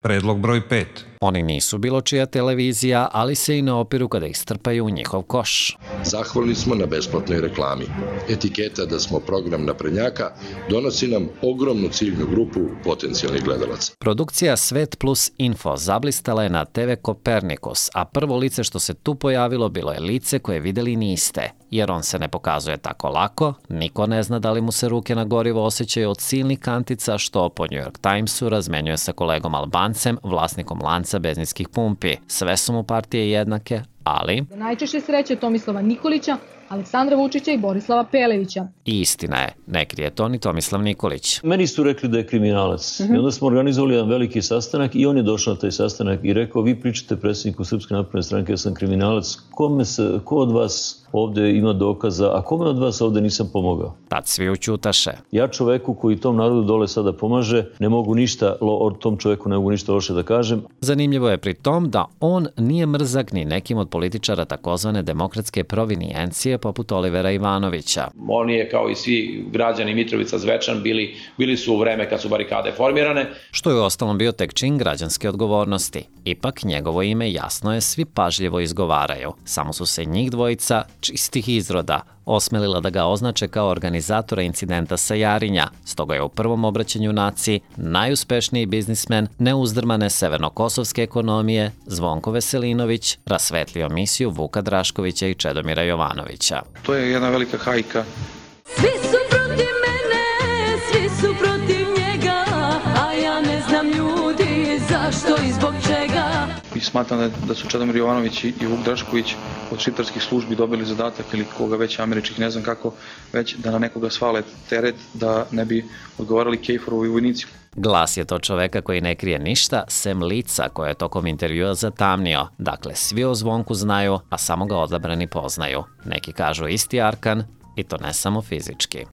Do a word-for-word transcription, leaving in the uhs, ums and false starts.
Predlog broj pet. Oni nisu bilo čija televizija, ali se i ne opiru kada ih strpaju u njihov koš. Zahvalni smo na besplatnoj reklami. Etiketa da smo program naprednjaka donosi nam ogromnu ciljnu grupu potencijalnih gledalaca. Produkcija Svet plus Info zablistala je na te ve Kopernikus, a prvo lice što se tu pojavilo bilo je lice koje videli niste, jer on se ne pokazuje tako lako, niko ne zna da li mu se ruke na gorivo osjećaju od silnih kantica što po New York Timesu razmenjuje sa kolegom Albancem, vlasnikom lanca benzinskih pumpi. Sve su mu partije jednake, ali... Najčešće sreće Tomislava Nikolića, Aleksandra Vučića i Borislava Pelevića. I istina je, ne krije to ni Tomislav Nikolić. Meni su rekli da je kriminalac. I onda smo organizovali jedan veliki sastanak i on je došao na taj sastanak i rekao: vi pričate predsjedniku Srpske napredne stranke, ja sam kriminalac, kome se, ko od vas ovde ima dokaza, a kome od vas ovde nisam pomogao? Tad svi učutaše. Ja čoveku koji tom narodu dole sada pomaže, ne mogu ništa, o tom čoveku ne mogu ništa loše da kažem. Zanimljivo je pri tom da on nije mrzak ni nekim od političara takozvane demokratske provinijencije poput Olivera Ivanovića. On je, kao i svi građani Mitrovica Zvečan, bili, bili su u vreme kad su barikade formirane. Što je ostalom bio tek čin građanske odgovornosti. Ipak njegovo ime jasno je svi pažljivo izgovaraju. Samo su se njih dvojica, čistih izroda, osmelila da ga označe kao organizatora incidenta sa Jarinja. Stoga je u prvom obraćanju naciji najuspešniji biznismen neuzdrmane severnokosovske ekonomije Zvonko Veselinović rasvetlio misiju Vuka Draškovića i Čedomira Jovanovića. To je jedna velika hajka. Svi su protiv mene, svi su protiv njega, a ja ne znam ljudi zašto i zbog čega. I smatram da, da su Čedomir Jovanović i Vuk Drašković od šiptarskih službi dobili zadatak ili koga već američkih, ne znam kako, već da na nekoga svale teret da ne bi odgovarali Kejforovi vojnici. Glas je to čoveka koji ne krije ništa, sem lica koje je tokom intervjua zatamnio. Dakle, svi o Zvonku znaju, a samo ga odabrani poznaju. Neki kažu isti arkan, i to ne samo fizički.